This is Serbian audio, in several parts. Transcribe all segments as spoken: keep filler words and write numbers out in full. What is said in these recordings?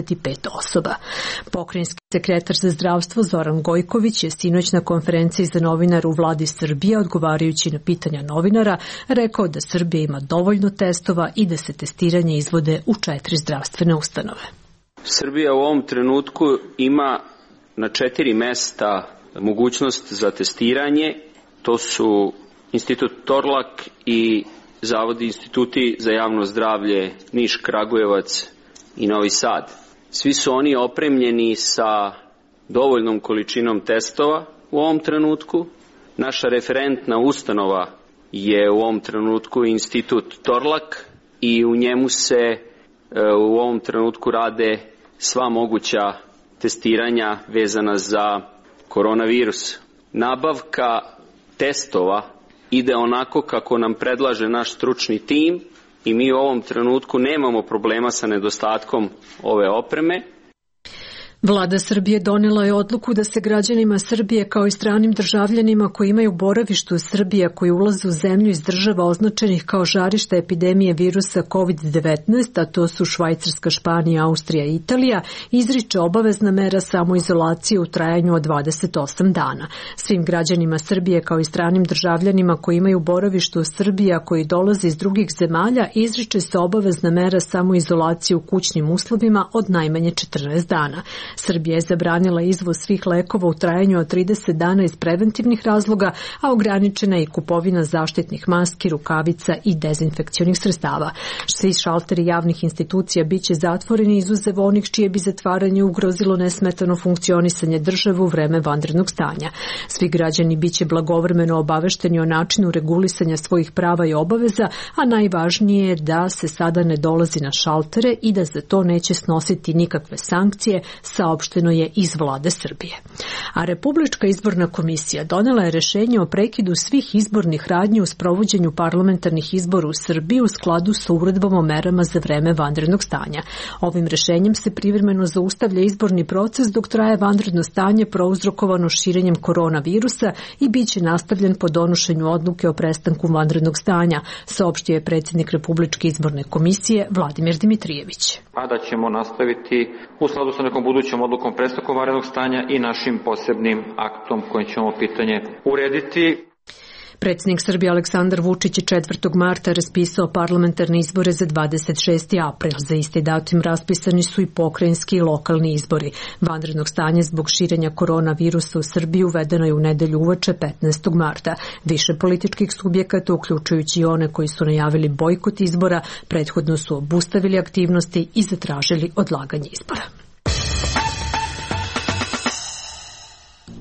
trideset pet osoba. Pokrajinski sekretar za zdravstvo Zoran Gojković je sinoć na konferenciji za novinare u vladi Srbije, odgovarajući na pitanja novinara, rekao da Srbija ima dovoljno testova i da se testiranje izvode u četiri zdravstvene ustanove. Srbija u ovom trenutku ima na četiri mesta mogućnost za testiranje. To su Institut Torlak i Zavodi instituti za javno zdravlje Niš, Kragujevac i Novi Sad. Svi su oni opremljeni sa dovoljnom količinom testova u ovom trenutku. Naša referentna ustanova je u ovom trenutku Institut Torlak i u njemu se u ovom trenutku rade sva moguća testiranja vezana za koronavirus. Nabavka testova ide onako kako nam predlaže naš stručni tim i mi u ovom trenutku nemamo problema sa nedostatkom ove opreme. Vlada Srbije donela je odluku da se građanima Srbije kao i stranim državljanima koji imaju boravište u Srbiji, koji ulaze u zemlju iz država označenih kao žarišta epidemije virusa kovid devetnaest, a to su Švajcarska, Španija, Austrija i Italija, izriče obavezna mera samoizolacije u trajanju od dvadeset osam dana. Svim građanima Srbije kao i stranim državljanima koji imaju boravište u Srbiji, a koji dolaze iz drugih zemalja, izriče se obavezna mera samoizolacije u kućnim uslovima od najmanje četrnaest dana. Srbija je zabranila izvoz svih lekova u trajanju od trideset dana iz preventivnih razloga, a ograničena je i kupovina zaštitnih maski, rukavica i dezinfekcionih sredstava. Svi šalteri javnih institucija biće zatvoreni izuzev onih čije bi zatvaranje ugrozilo nesmetano funkcionisanje države u vreme vanrednog stanja. Svi građani biće blagovremeno obavešteni o načinu regulisanja svojih prava i obaveza, a najvažnije je da se sada ne dolazi na šaltere i da za to neće snositi nikakve sankcije, saopšteno je iz vlade Srbije. A Republička izborna komisija donela je rešenje o prekidu svih izbornih radnji u sprovođenju parlamentarnih izbora u Srbiji u skladu sa uredbom o merama za vreme vanrednog stanja. Ovim rešenjem se privremeno zaustavlja izborni proces dok traje vanredno stanje prouzrokovano širenjem koronavirusa i bit će nastavljen po donošenju odluke o prestanku vanrednog stanja, saopštio je predsjednik Republičke izborne komisije Vladimir Dimitrijević. A da ćemo nastaviti u skladu sa nekom budućom odlukom prestanku vanrednog stanja i našim posebnim aktom kojim ćemo pitanje urediti. Predsjednik Srbije Aleksandar Vučić je četvrtog marta raspisao parlamentarne izbore za dvadeset šesti april. Za isti datum raspisani su i pokrajinski i lokalni izbori. Vanrednog stanja zbog širenja koronavirusa u Srbiji uvedeno je u nedelju uveče petnaestog marta. Više političkih subjekata, uključujući i one koji su najavili bojkot izbora, prethodno su obustavili aktivnosti i zatražili odlaganje izbora.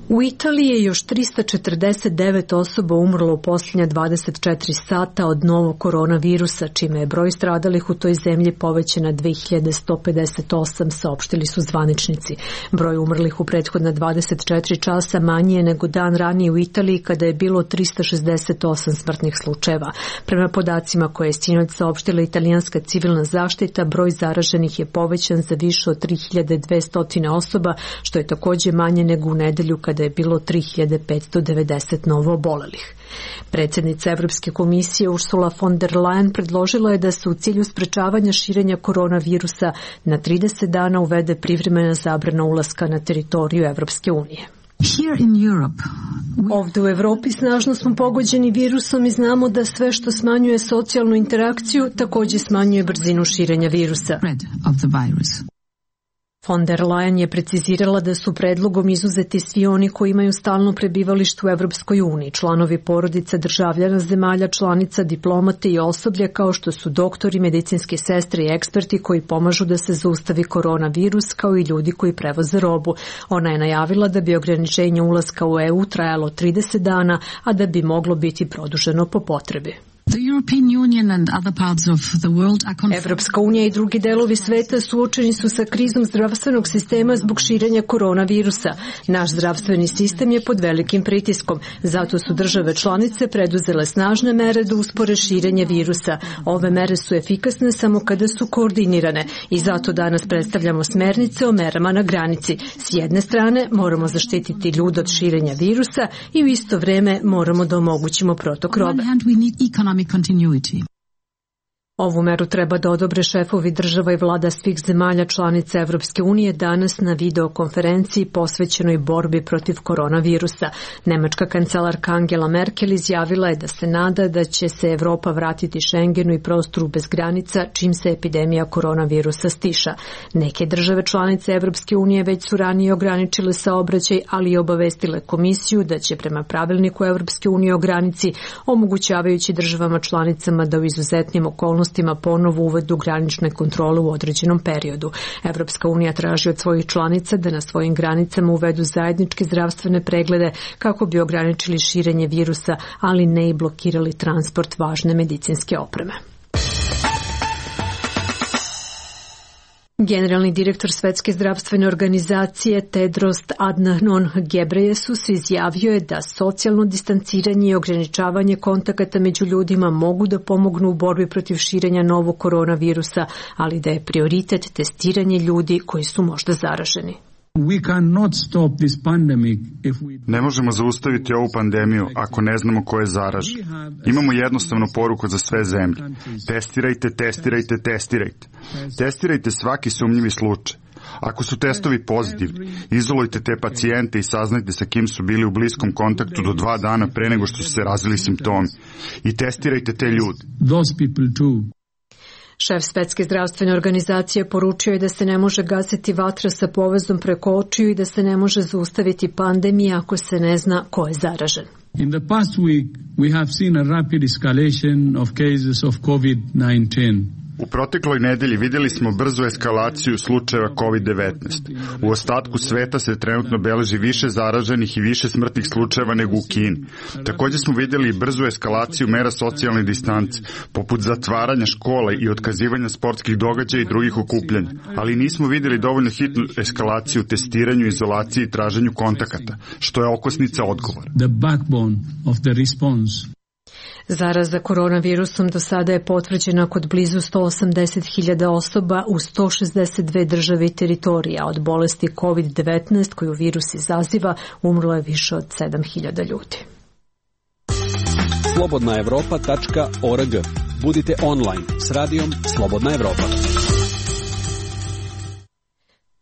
U Italiji je još trista četrdeset devet osoba umrlo u posljednja dvadeset četiri sata od novog koronavirusa, čime je broj stradalih u toj zemlji povećan na dve hiljade sto pedeset osam, saopštili su zvaničnici. Broj umrlih u prethodna dvadeset četiri časa manji je nego dan ranije u Italiji kada je bilo trista šezdeset osam smrtnih slučajeva. Prema podacima koje je sinoć saopštila italijanska civilna zaštita, broj zaraženih je povećan za više od tri hiljade dvesta osoba, što je također manje nego u nedelju kada da je bilo tri hiljade petsto devedeset novo obolelih. Predsjednica Evropske komisije Ursula von der Leyen predložila je da se u cilju sprečavanja širenja koronavirusa na trideset dana uvede privremena zabrana ulaska na teritoriju Evropske unije. Ovdje u Evropi snažno smo pogođeni virusom i znamo da sve što smanjuje socijalnu interakciju također smanjuje brzinu širenja virusa. Von der Leyen je precizirala da su predlogom izuzeti svi oni koji imaju stalno prebivalište u Evropskoj uniji, članovi porodica državljana zemalja članica, diplomate i osoblje kao što su doktori, medicinske sestre i eksperti koji pomažu da se zaustavi koronavirus, kao i ljudi koji prevoze robu. Ona je najavila da bi ograničenje ulaska u E U trajalo trideset dana, a da bi moglo biti produženo po potrebi. Evropska unija i drugi delovi sveta suočeni su sa krizom zdravstvenog sistema zbog širenja koronavirusa. Naš zdravstveni sistem je pod velikim pritiskom, zato su države članice preduzele snažne mere da uspore širenje virusa. Ove mere su efikasne samo kada su koordinirane i zato danas predstavljamo smernice o merama na granici. S jedne strane moramo zaštititi ljude od širenja virusa i u isto vreme moramo da omogućimo protok robe. Ovu meru treba da odobre šefovi država i vlada svih zemalja članica Evropske unije danas na videokonferenciji posvećenoj borbi protiv koronavirusa. Nemačka kancelarka Angela Merkel izjavila je da se nada da će se Evropa vratiti Schengenu i prostoru bez granica čim se epidemija koronavirusa stiša. Neke države članice Evropske unije već su ranije ograničile saobraćaj, ali i obavestile komisiju da će prema pravilniku Evropske unije o granici, omogućavajući državama članicama da u izuzetnim okolnostima ponovo uvedu granične kontrole u određenom periodu. Evropska unija traži od svojih članica da na svojim granicama uvedu zajedničke zdravstvene preglede kako bi ograničili širenje virusa, ali ne i blokirali transport važne medicinske opreme. Generalni direktor Svetske zdravstvene organizacije Tedros Adhanom Ghebreyesus izjavio je da socijalno distanciranje i ograničavanje kontakata među ljudima mogu da pomognu u borbi protiv širenja novog koronavirusa, ali da je prioritet testiranje ljudi koji su možda zaraženi. Ne možemo zaustaviti ovu pandemiju ako ne znamo ko je zaražen. Imamo jednostavnu poruku za sve zemlje. Testirajte, testirajte, testirajte. Testirajte svaki sumnjivi slučaj. Ako su testovi pozitivni, izolujte te pacijente i saznajte sa kim su bili u bliskom kontaktu do dva dana pre nego što su se razvili simptomi. I testirajte te ljude. Šef Svetske zdravstvene organizacije poručio je da se ne može gasiti vatra sa povezom preko očiju i da se ne može zaustaviti pandemija ako se ne zna ko je zaražen. In the past week, we have seen a rapid escalation of cases of COVID nineteen. U protekloj nedelji vidjeli smo brzu eskalaciju slučajeva kovid devetnaest. U ostatku sveta se trenutno beleži više zaraženih i više smrtnih slučajeva nego u Kini. Također smo vidjeli brzu eskalaciju mera socijalne distance, poput zatvaranja škola i otkazivanja sportskih događaja i drugih okupljanja. Ali nismo vidjeli dovoljno hitnu eskalaciju u testiranju, izolaciji i traženju kontakata, što je okosnica odgovora. The backbone of the response. Zaraza koronavirusom do sada je potvrđena kod blizu sto osamdeset hiljada osoba u sto šezdeset dve države i teritorija. Od bolesti kovid devetnaest koju virus izaziva umrlo je više od sedam hiljada ljudi. slobodna evropa tačka org. Budite online s radijom Slobodna Evropa.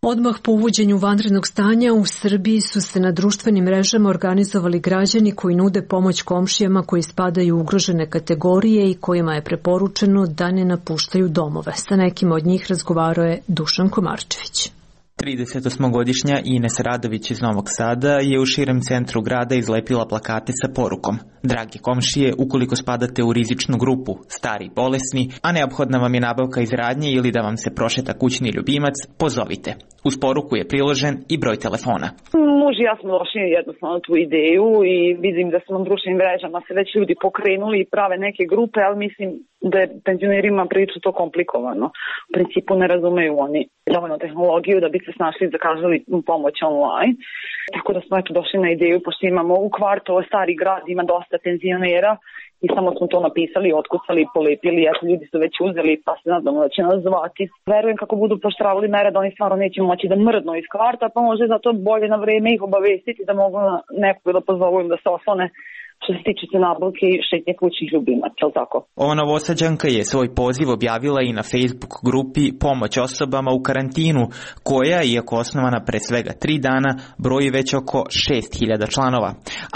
Odmah po uvođenju vanrednog stanja u Srbiji su se na društvenim mrežama organizovali građani koji nude pomoć komšijama koji spadaju u ugrožene kategorije i kojima je preporučeno da ne napuštaju domove. Sa nekim od njih razgovarao je Dušan Komarčević. tridesetosmogodišnja Ines Radović iz Novog Sada je u širem centru grada izlepila plakate sa porukom: dragi komšije, ukoliko spadate u rizičnu grupu, stari i bolesni, a neophodna vam je nabavka iz radnje ili da vam se prošeta kućni ljubimac, pozovite. Uz poruku je priložen i broj telefona. Muž i ja smo došli jednostavno tu ideju i vidim da su na društvenim mrežama se već ljudi pokrenuli i prave neke grupe, ali mislim da je penzionerima prilično to komplikovano. U principu ne razumeju oni dovoljno tehnologiju da bi se snašli zakazali pomoć online. Tako da smo eto došli na ideju, pošto imamo u kvartu, ovo stari grad, ima dosta penzionera i samo smo to napisali, otkucali, polepili, eto ljudi su već uzeli pa se nadamo da će nas zvati. Verujem kako budu poštravali mere da oni stvarno neće moći da mrdnu iz kvarta, pa može zato bolje na vreme ih obavestiti da mogu nekog da pozovu im da se oslone što se tiče se nabavke i šetnje kućnih ljubimaca, je li tako? Ova Novosađanka je svoj poziv objavila i na Facebook grupi Pomoć osobama u karantinu, koja, iako osnovana pre svega tri dana, broji već oko šest hiljada članova.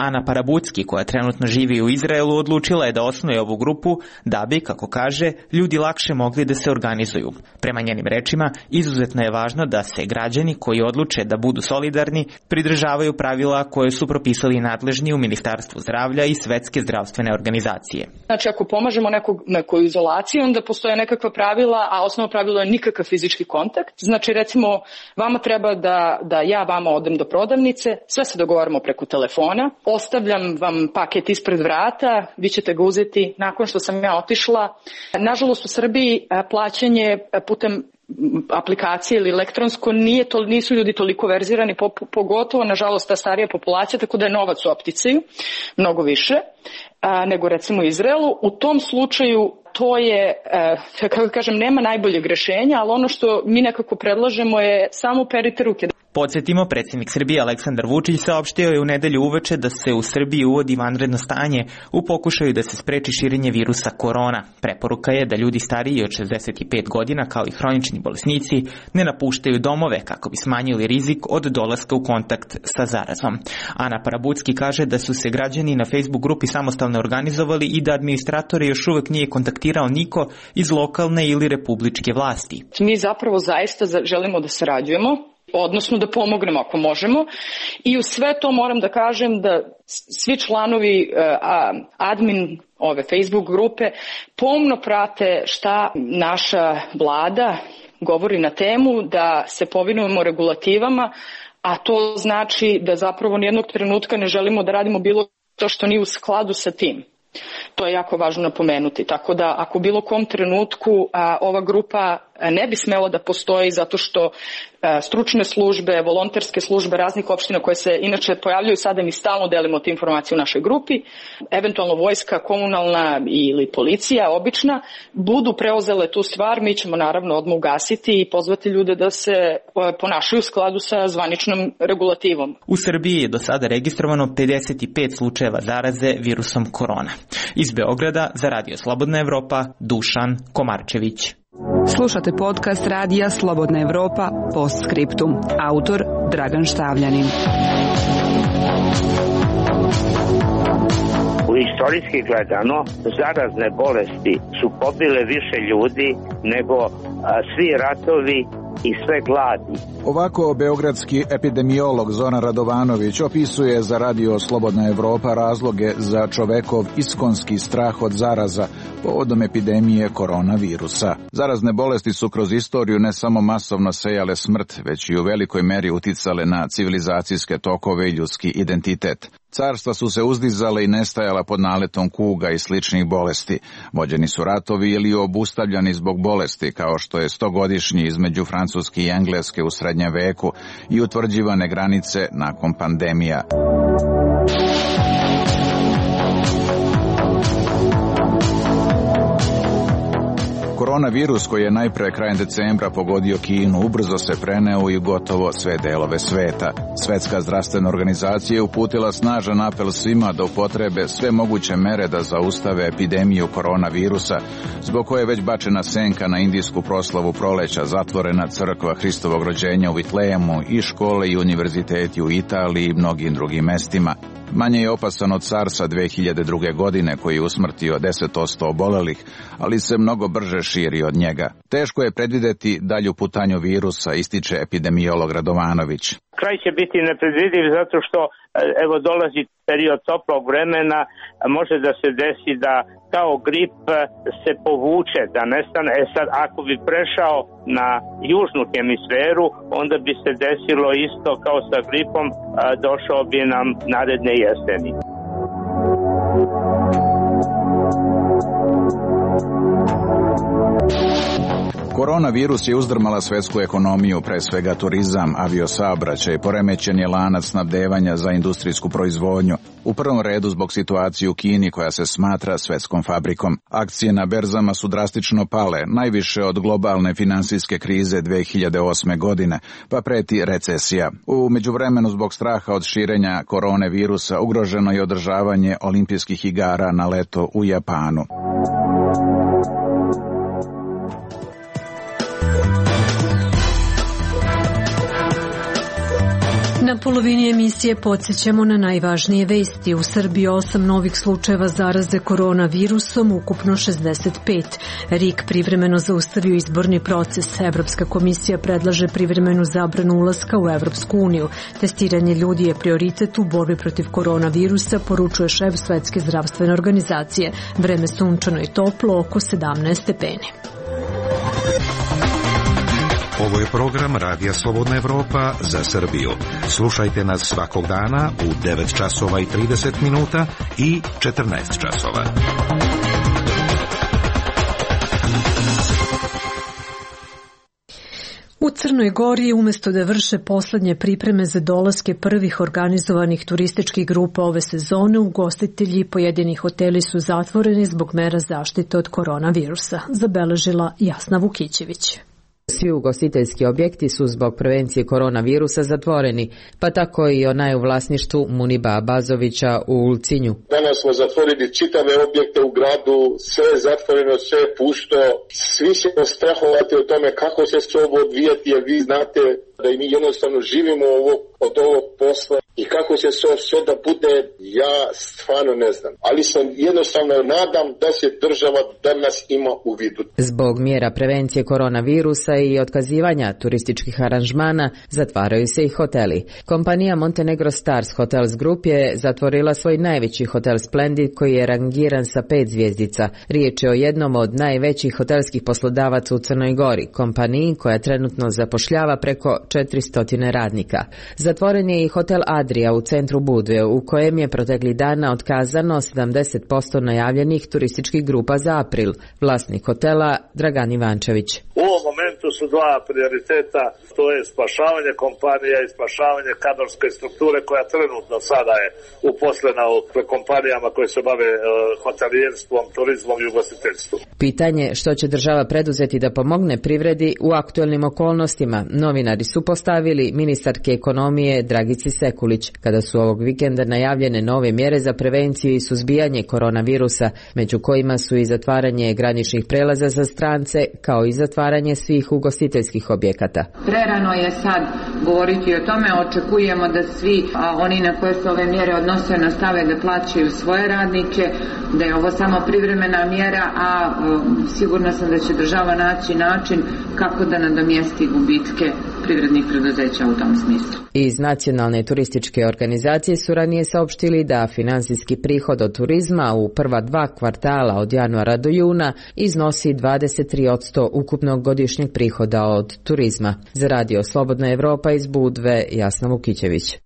Ana Parabucki, koja trenutno živi u Izraelu, odlučila je da osnuje ovu grupu da bi, kako kaže, ljudi lakše mogli da se organizuju. Prema njenim rečima, izuzetno je važno da se građani koji odluče da budu solidarni pridržavaju pravila koje su propisali nadležni u Ministarstvu zdravlja i Svetske zdravstvene organizacije. Znači, ako pomažemo nekog, nekoj izolaciji, onda postoje nekakva pravila, a osnovno pravilo je nikakav fizički kontakt. Znači, recimo, vama treba da, da ja vama odem do prodavnice, sve se dogovaramo preko telefona, ostavljam vam paket ispred vrata, vi ćete ga uzeti nakon što sam ja otišla. Nažalost, u Srbiji plaćanje putem aplikacije ili elektronsko nije to, nisu ljudi toliko verzirani, pogotovo nažalost ta starija populacija, tako da je novac u opticaju mnogo više a, nego recimo u Izraelu. U tom slučaju to je, a, kako kažem, nema najboljeg rešenja, ali ono što mi nekako predlažemo je samo perite ruke. Podsjetimo, predsjednik Srbije Aleksandar Vučić saopštio je u nedelju uveče da se u Srbiji uvodi vanredno stanje u pokušaju da se spreči širenje virusa korona. Preporuka je da ljudi stariji od šezdeset pet godina, kao i hronični bolesnici, ne napuštaju domove kako bi smanjili rizik od dolaska u kontakt sa zarazom. Ana Parabucki kaže da su se građani na Facebook grupi samostalno organizovali i da administratori još uvek nije kontaktirao niko iz lokalne ili republičke vlasti. Mi zapravo zaista želimo da sarađujemo, odnosno da pomognemo ako možemo, i u sve to moram da kažem da svi članovi admin ove Facebook grupe pomno prate šta naša vlada govori na temu, da se povinujemo regulativama, a to znači da zapravo nijednog trenutka ne želimo da radimo bilo to što nije u skladu sa tim. To je jako važno napomenuti, tako da ako u bilo kom trenutku a, ova grupa ne bi smela da postoji zato što a, stručne službe, volonterske službe raznih opština koje se inače pojavljaju sada, mi stalno delimo te informacije u našoj grupi, eventualno vojska, komunalna ili policija obična, budu preuzele tu stvar, mi ćemo naravno odmah ugasiti i pozvati ljude da se a, ponašaju u skladu sa zvaničnom regulativom. U Srbiji je do sada registrovano pedeset pet slučajeva zaraze virusom korona. Iz Beograda za Radio Slobodna Evropa, Dušan Komarčević. Slušate podcast Radija Slobodna Evropa Postscriptum. Autor Dragan Štavljanin. U istorijski gledano, zarazne bolesti su pobile više ljudi nego a, svi ratovi i sve gladi. Ovako beogradski epidemiolog Zoran Radovanović opisuje za Radio Slobodna Evropa razloge za čovekov iskonski strah od zaraza povodom epidemije koronavirusa. Zarazne bolesti su kroz istoriju ne samo masovno sejale smrt, već i u velikoj meri uticale na civilizacijske tokove i ljudski identitet. Carstva su se uzdizale i nestajala pod naletom kuga i sličnih bolesti. Vođeni su ratovi ili obustavljani zbog bolesti, kao što je stogodišnji između Francuske i Engleske u srednjem veku i utvrđivane granice nakon pandemija. Koronavirus koji je najpre krajem decembra pogodio Kinu ubrzo se preneo i gotovo sve delove sveta. Svetska zdravstvena organizacija je uputila snažan apel svima da upotrebe sve moguće mere da zaustave epidemiju koronavirusa, zbog koje je već bačena senka na indijsku proslavu proleća, zatvorena crkva Hristovog rođenja u Vitlejemu i škole i univerziteti u Italiji i mnogim drugim mestima. Manje je opasan od SARS-a dve hiljade druge. godine koji je usmrtio deset posto obolelih, ali se mnogo brže širi od njega. Teško je predvideti dalju putanju virusa, ističe epidemiolog Radovanović. Kraj će biti nepredvidiv zato što evo dolazi period toplog vremena, može da se desi da kao grip se povuče, da nestane. E sad, ako bi prešao na južnu hemisferu, onda bi se desilo isto kao sa gripom, došao bi nam naredne jeseni. Koronavirus je uzdrmala svetsku ekonomiju, pre svega turizam, aviosaobraćaj, poremećen je lanac snabdevanja za industrijsku proizvodnju. U prvom redu zbog situacije u Kini koja se smatra svetskom fabrikom. Akcije na berzama su drastično pale, najviše od globalne finansijske krize dve hiljade osme. godine, pa preti recesija. U međuvremenu zbog straha od širenja korone virusa ugroženo je održavanje olimpijskih igara na leto u Japanu. Na polovini emisije podsjećamo na najvažnije vesti. U Srbiji osam novih slučajeva zaraze koronavirusom, ukupno šezdeset pet. R I K privremeno zaustavio izborni proces. Evropska komisija predlaže privremenu zabranu ulaska u Evropsku uniju. Testiranje ljudi je prioritet u borbi protiv koronavirusa, poručuje šef Svetske zdravstvene organizacije. Vreme sunčano i toplo, oko sedamnaest stepeni. Ovo je program Radija Slobodna Evropa za Srbiju. Slušajte nas svakog dana u devet časova i trideset minuta i četrnaest časova. U Crnoj Gori, umesto da vrše poslednje pripreme za dolaske prvih organizovanih turističkih grupa ove sezone, ugostitelji i pojedini hoteli su zatvoreni zbog mera zaštite od koronavirusa, zabeležila Jasna Vukićević. svi ugostiteljski objekti su zbog prevencije koronavirusa zatvoreni, pa tako i onaj u vlasništvu Muniba Bazovića u Ulcinju. Danas smo zatvorili čitave objekte u gradu, sve je zatvoreno, sve je pusto. Svi ćemo strahovati o tome kako će se ovo odvijati, jer vi znate da i mi jednostavno živimo ovo, od ovog posla i kako će se sve da bude, ja stvarno ne znam. Ali sam jednostavno nadam da se država danas ima u vidu. Zbog mjera prevencije koronavirusa i otkazivanja turističkih aranžmana zatvaraju se i hoteli. Kompanija Montenegro Stars Hotels Group je zatvorila svoj najveći hotel Splendid koji je rangiran sa pet zvjezdica. Riječ je o jednom od najvećih hotelskih poslodavaca u Crnoj Gori, kompaniji koja trenutno zapošljava preko četiristo radnika. Zatvoren je i hotel Adria u centru Budve, u kojem je protekli dana otkazano sedamdeset posto najavljenih turističkih grupa za april. Vlasnik hotela Dragan Ivančević. U ovom momentu su dva prioriteta, to je spašavanje kompanija i spašavanje kadrovske strukture koja trenutno sada je uposlena u kompanijama koje se bave uh, hotelijerstvom, turizmom i ugostiteljstvom. Pitanje što će država preduzeti da pomogne privredi u aktuelnim okolnostima, novinari su postavili ministarke ekonomije Dragici Sekulić, kada su ovog vikenda najavljene nove mjere za prevenciju i suzbijanje koronavirusa, među kojima su i zatvaranje graničnih prelaza za strance, kao i zatvaranje svih ugostiteljskih objekata. Prerano je sad govoriti o tome, očekujemo da svi a, oni na koje se ove mjere odnose nastave da plaćaju svoje radnike, da je ovo samo privremena mjera, a a sigurna sam da će država naći način kako da nadomjesti gubitke privrednih preduzeća u tom smislu. Iz Nacionalne turističke organizacije su ranije saopštili da finansijski prihod od turizma u prva dva kvartala od januara do juna iznosi dvadeset tri posto ukupnog godišnjeg prihoda od turizma. Za Radio Slobodna Evropa iz Budve, Jasna Vukićević.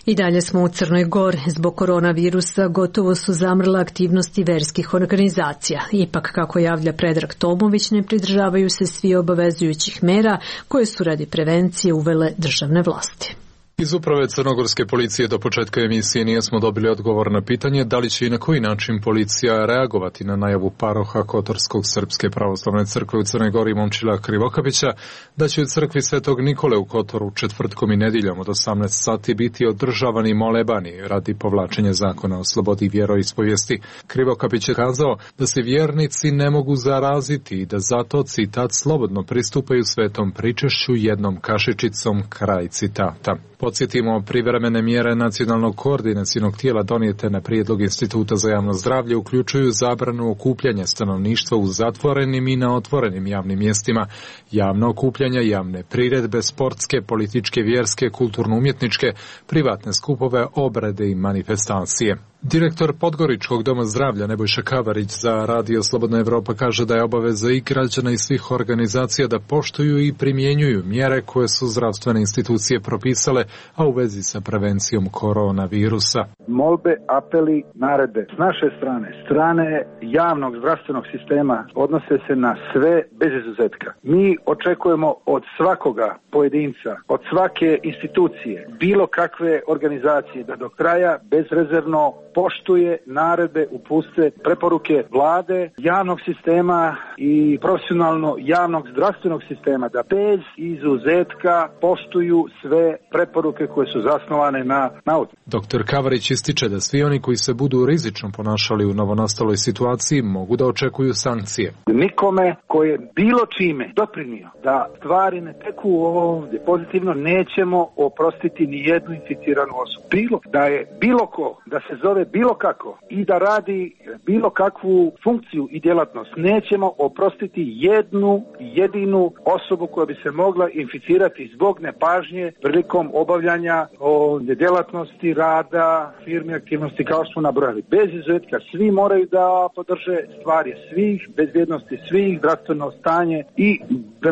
I dalje smo u Crnoj Gori. Zbog koronavirusa gotovo su zamrle aktivnosti verskih organizacija. Ipak, kako javlja Predrag Tomović, ne pridržavaju se svi obavezujućih mera koje su radi prevencije uvele državne vlasti. Iz uprave crnogorske policije do početka emisije nismo dobili odgovor na pitanje da li će i na koji način policija reagovati na najavu paroha Kotorskog Srpske pravoslavne crkve u Crnoj Gori Momčila Krivokapića da će u crkvi Svetog Nikole u Kotoru četvrtkom i nedjeljom od osamnaest sati biti održavani molebani radi povlačenja zakona o slobodi vjeroispovijesti. Krivokapić je kazao da se vjernici ne mogu zaraziti i da zato, citat, slobodno pristupaju svetom pričešću jednom kašičicom, kraj citata. Podsjetimo, privremene mjere nacionalnog koordinacionog tijela donijete na prijedlog Instituta za javno zdravlje uključuju zabranu okupljanja stanovništva u zatvorenim i na otvorenim javnim mjestima, javno okupljanja, javne priredbe, sportske, političke, vjerske, kulturno-umjetničke, privatne skupove, obrede i manifestacije. Direktor Podgoričkog doma zdravlja Nebojša Kavarić za Radio Slobodna Evropa kaže da je obaveza i građana i svih organizacija da poštuju i primjenjuju mjere koje su zdravstvene institucije propisale, a u vezi sa prevencijom koronavirusa. Molbe, apeli, naredbe s naše strane, strane javnog zdravstvenog sistema odnose se na sve bez izuzetka. Mi očekujemo od svakoga pojedinca, od svake institucije, bilo kakve organizacije da do kraja bezrezervno poštuje naredbe, upuste, preporuke vlade, javnog sistema i profesionalno javnog zdravstvenog sistema da bez izuzetka poštuju sve preporuke koje su zasnovane na nauci. Doktor Kavarić ističe da svi oni koji se budu rizično ponašali u novonastaloj situaciji mogu da očekuju sankcije. Nikome koji je bilo čime doprinio da stvari ne teku ovdje pozitivno nećemo oprostiti ni jednu inficiranu osobu. Bilo da je bilo ko, da se zove bilo kako i da radi bilo kakvu funkciju i djelatnost, nećemo oprostiti jednu jedinu osobu koja bi se mogla inficirati zbog nepažnje prilikom obavljanja o djelatnosti, rada, firmi, aktivnosti kao što smo nabrojali. Bez izuzetka svi moraju da podrže stvari svih, bezbjednosti svih, zdravstveno stanje i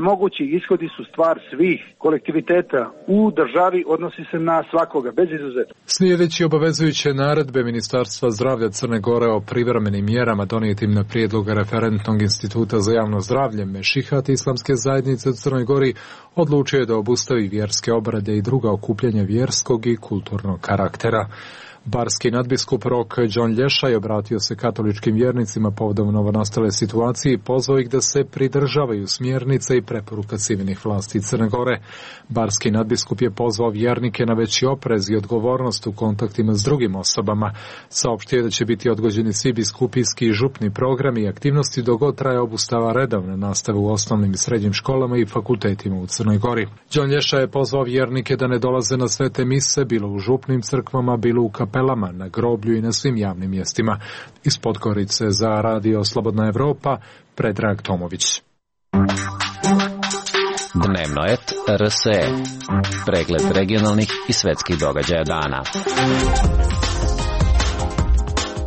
mogući ishodi su stvar svih kolektiviteta u državi, odnosi se na svakoga, bez izuzetka. Slijedeći obavezujuće naredbe Ministarstva zdravlja Crne Gore o privremenim mjerama donijetim na prijedlog referentnog instituta za javno zdravlje, Mešihat Islamske zajednice u Crnoj Gori odlučio je da obustavi vjerske obrade i druga okupljanja vjerskog i kulturnog karaktera. Barski nadbiskup Rok John Lješaj obratio se katoličkim vjernicima povodom novonastale situacije i pozvao ih da se pridržavaju smjernice i preporuka civilnih vlasti Crne Gore. Barski nadbiskup je pozvao vjernike na veći oprez i odgovornost u kontaktima s drugim osobama. Saopštio da će biti odgođeni svi biskupijski i župni programi i aktivnosti dok god traje obustava redovne nastave u osnovnim i srednjim školama i fakultetima u Crnoj Gori. John Lješaj je pozvao vjernike da ne dolaze na svete mise, bilo u župnim crkvama, bilo u kapelama, na groblju i na svim javnim mjestima. Iz Podgorice za Radio Slobodna Evropa, Predrag Tomović. Dnevno et R S E. Pregled regionalnih i svetskih događaja dana.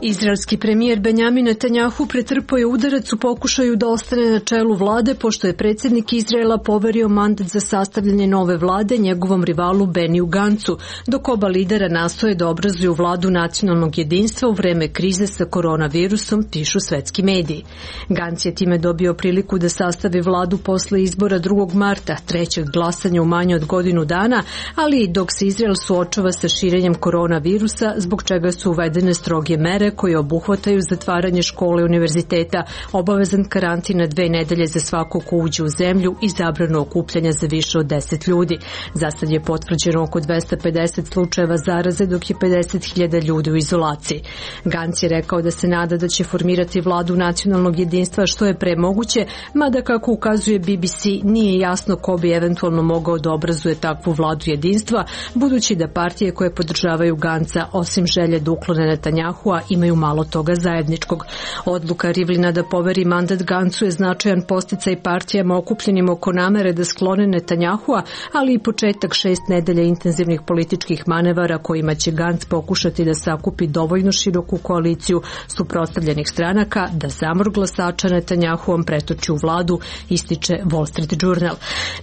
Izraelski premijer Benjamin Netanjahu pretrpao je udarac u pokušaju da ostane na čelu vlade, pošto je predsjednik Izraela poverio mandat za sastavljanje nove vlade njegovom rivalu Beniju Gancu, dok oba lidera nastoje da obrazuju vladu nacionalnog jedinstva u vreme krize sa koronavirusom, pišu svetski mediji. Ganc je time dobio priliku da sastavi vladu posle izbora drugog marta, trećeg glasanja u manje od godinu dana, ali i dok se Izrael suočava sa širenjem koronavirusa, zbog čega su uvedene stroge mere koje obuhvataju zatvaranje škole i univerziteta, obavezan karantin na dve nedelje za svako ko uđe u zemlju i zabranu okupljanja za više od deset ljudi. Zasad je potvrđeno oko dvesta pedeset slučajeva zaraze, dok je pedeset hiljada ljudi u izolaciji. Ganc je rekao da se nada da će formirati vladu nacionalnog jedinstva što je pre moguće, mada kako ukazuje B B C nije jasno ko bi eventualno mogao da obrazuje takvu vladu jedinstva, budući da partije koje podržavaju Ganca, osim želje da uklone Netanjahua, imaju malo toga zajedničkog. Odluka Rivlina da poveri mandat Gancu je značajan posticaj partijama okupljenim oko namere da sklone Netanjahua, ali i početak šest nedelja intenzivnih političkih manevara kojima će Ganc pokušati da sakupi dovoljno široku koaliciju suprotstavljenih stranaka da zamor glasača Netanjahuom pretoči u vladu, ističe Wall Street Journal.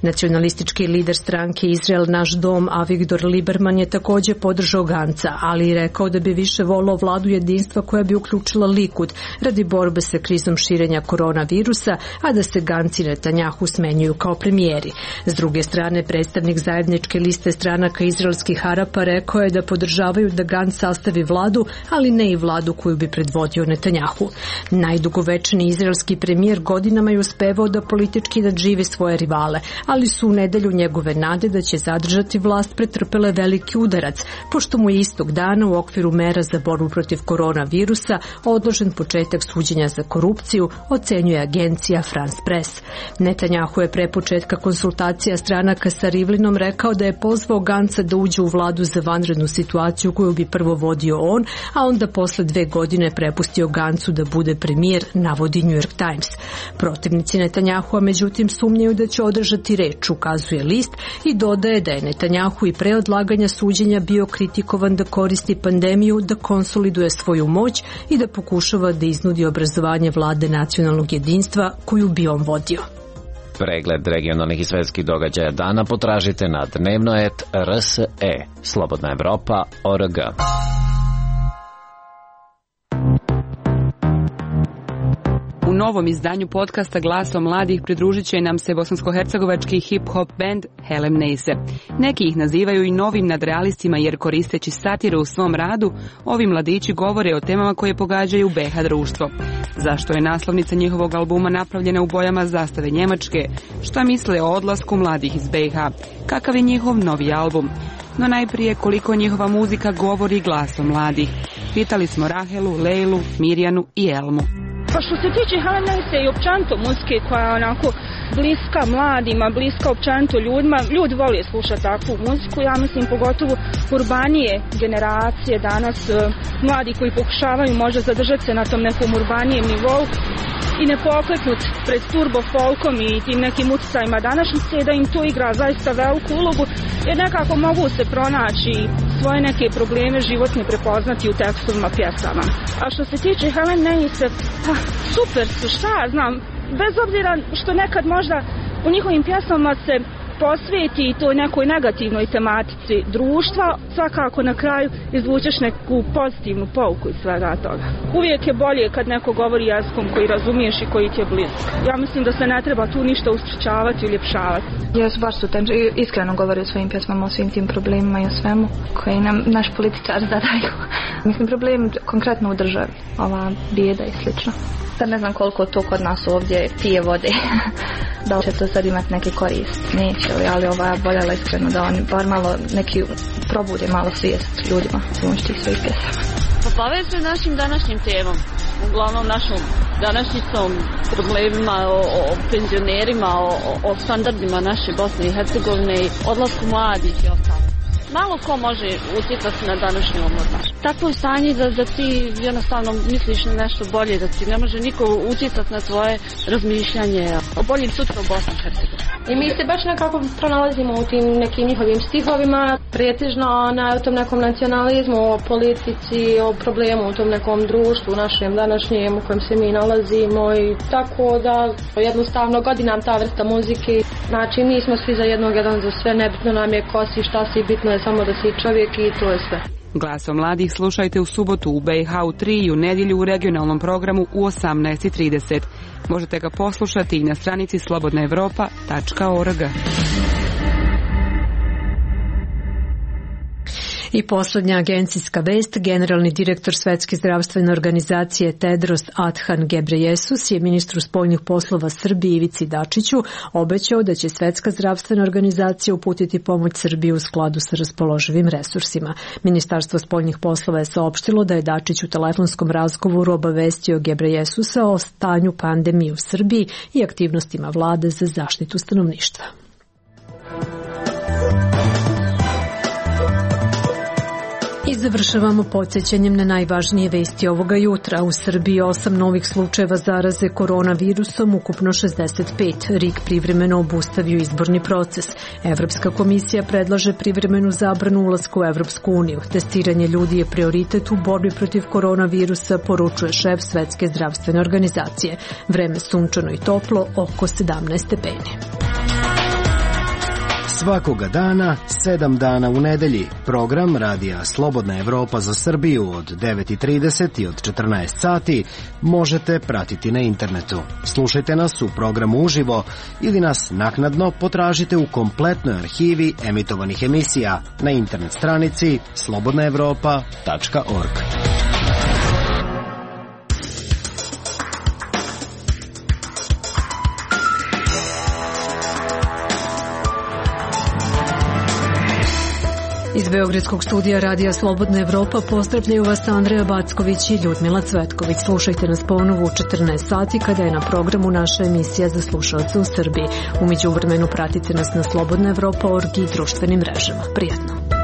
Nacionalistički lider stranke Izrael naš dom Avigdor Lieberman je također podržao Ganca, ali i rekao da bi više volao vladu jedinstva koja bi uključila Likud radi borbe sa krizom širenja koronavirusa, a da se Ganc i Netanjahu smenjuju kao premijeri. S druge strane, predstavnik zajedničke liste stranaka izraelskih Arapa rekao je da podržavaju da Ganc sastavi vladu, ali ne i vladu koju bi predvodio Netanjahu. Najdugovečniji izraelski premijer godinama je uspevao da politički nadživi svoje rivale, ali su u nedelju njegove nade da će zadržati vlast pretrpele veliki udarac, pošto mu je istog dana u okviru mera za borbu protiv koronavirusa odložen početak suđenja za korupciju, ocenjuje agencija France Press. Netanjahu je pre početka konsultacija stranaka sa Rivlinom rekao da je pozvao Ganca da uđe u vladu za vanrednu situaciju koju bi prvo vodio on, a onda posle dve godine prepustio Gancu da bude premijer, navodi New York Times. Protivnici Netanjahua međutim sumnjaju da će održati reč, ukazuje list, i dodaje da je Netanjahu i pre odlaganja suđenja bio kritikovan da koristi pandemiju da konsoliduje svoju moć i da pokušava da iznudi obrazovanje vlade nacionalnog jedinstva koju bi on vodio. Pregled regionalnih i svetskih događaja dana potražite na dnevno et R S E. Slobodna Evropa, O R G. U novom izdanju podcasta Glasom mladih pridružit će nam se bosansko-hercegovački hip-hop band Helem Neise. Neki ih nazivaju i novim nadrealistima jer koristeći satiru u svom radu, ovi mladići govore o temama koje pogađaju B H društvo. Zašto je naslovnica njihovog albuma napravljena u bojama zastave Njemačke? Šta misle o odlasku mladih iz B H? Kakav je njihov novi album? No najprije koliko njihova muzika govori glasom mladih. Pitali smo Rahelu, Lejlu, Mirjanu i Elmu. Pa što se tiče Helem Neise i općenito muzike koja je onako bliska mladima, bliska općenito ljudima, ljudi vole slušati takvu muziku, ja mislim pogotovo urbanije generacije danas, mladi koji pokušavaju možda zadržati se na tom nekom urbanijem nivou i ne pokleknut pred turbo folkom i tim nekim utjecajima današnjice, da im to igra zaista veliku ulogu, jer nekako mogu se pronaći svoje neke probleme životne prepoznati u tekstovima pjesama. A što se tiče Helem Neise, pa super su, šta ja znam, bez obzira što nekad možda u njihovim pjesmama se posveti toj nekoj negativnoj tematici društva, svakako na kraju izvučeš neku pozitivnu pouku iz svega toga. Uvijek je bolje kad neko govori jezikom koji razumiješ i koji ti je blizak. Ja mislim da se ne treba tu ništa uspričavati i uljepšavati. Ja su baš su tem, iskreno govori o svojim pjesmama, o svim tim problemima i o svemu koji nam naš političar zadaju. Mislim, problem konkretno u državi, ova bijeda i slično. Sad ne znam koliko to kod nas ovdje pije vode, da li će to sad imati neki korist, neće, ali ova voljela iskreno da oni bar malo neki probude malo svijest ljudima pomoć tih svojih pjesama. Pa povezuje našim današnjim temom, uglavnom našom današnjicom, problemima o, o penzionerima, o, o standardima naše Bosne i Hercegovine, odlasku mladih i ostalo. Malo ko može utjecati na današnju omladinu. Takvo je stanje da, da ti jednostavno misliš na nešto bolje, da ti ne može niko utjecati na tvoje razmišljanje o boljim sutra u Bosni i Hercegovini. I mi se baš nekako pronalazimo u tim nekim njihovim stihovima, pretežno na tom nekom nacionalizmu, o politici, o problemu u tom nekom društvu našem današnjem u kojem se mi nalazimo i tako da jednostavno godi nam ta vrsta muzike. Znači mi smo svi za jednog, jedan za sve, nebitno nam je ko si, šta si, bitno je samo da si čovjek i to je sve. Glasom mladih slušajte u subotu u B iH u tri i u nedjelju u regionalnom programu u osamnaest i trideset. Možete ga poslušati i na stranici slobodna evropa tačka org. I posljednja agencijska vest, generalni direktor Svetske zdravstvene organizacije Tedros Adhanom Ghebreyesus je ministru spoljnih poslova Srbije Ivici Dačiću obećao da će Svetska zdravstvena organizacija uputiti pomoć Srbiji u skladu sa raspoloživim resursima. Ministarstvo spoljnih poslova je saopštilo da je Dačić u telefonskom razgovoru obavestio Ghebreyesusa o stanju pandemije u Srbiji i aktivnostima vlade za zaštitu stanovništva. I završavamo podsjećanjem na najvažnije vesti ovoga jutra. U Srbiji osam novih slučajeva zaraze koronavirusom, ukupno šezdeset pet. R I K privremeno obustavio izborni proces. Evropska komisija predlaže privremenu zabranu ulaska u Evropsku uniju. Testiranje ljudi je prioritet u borbi protiv koronavirusa, poručuje šef Svetske zdravstvene organizacije. Vreme sunčano i toplo, oko sedamnaest stepeni. Svakoga dana, sedam dana u nedelji, program radija Slobodna Evropa za Srbiju od devet i trideset i od četrnaest sati možete pratiti na internetu. Slušajte nas u programu uživo ili nas naknadno potražite u kompletnoj arhivi emitovanih emisija na internet stranici slobodna evropa tačka org. Iz Beogradskog studija radija Slobodna Evropa pozdravljaju vas Andreja Backović i Ljudmila Cvetković. Slušajte nas ponovo u četrnaest sati kada je na programu naša emisija za slušalce u Srbiji. U međuvremenu pratite nas na slobodna evropa tačka org i društvenim mrežama. Prijatno!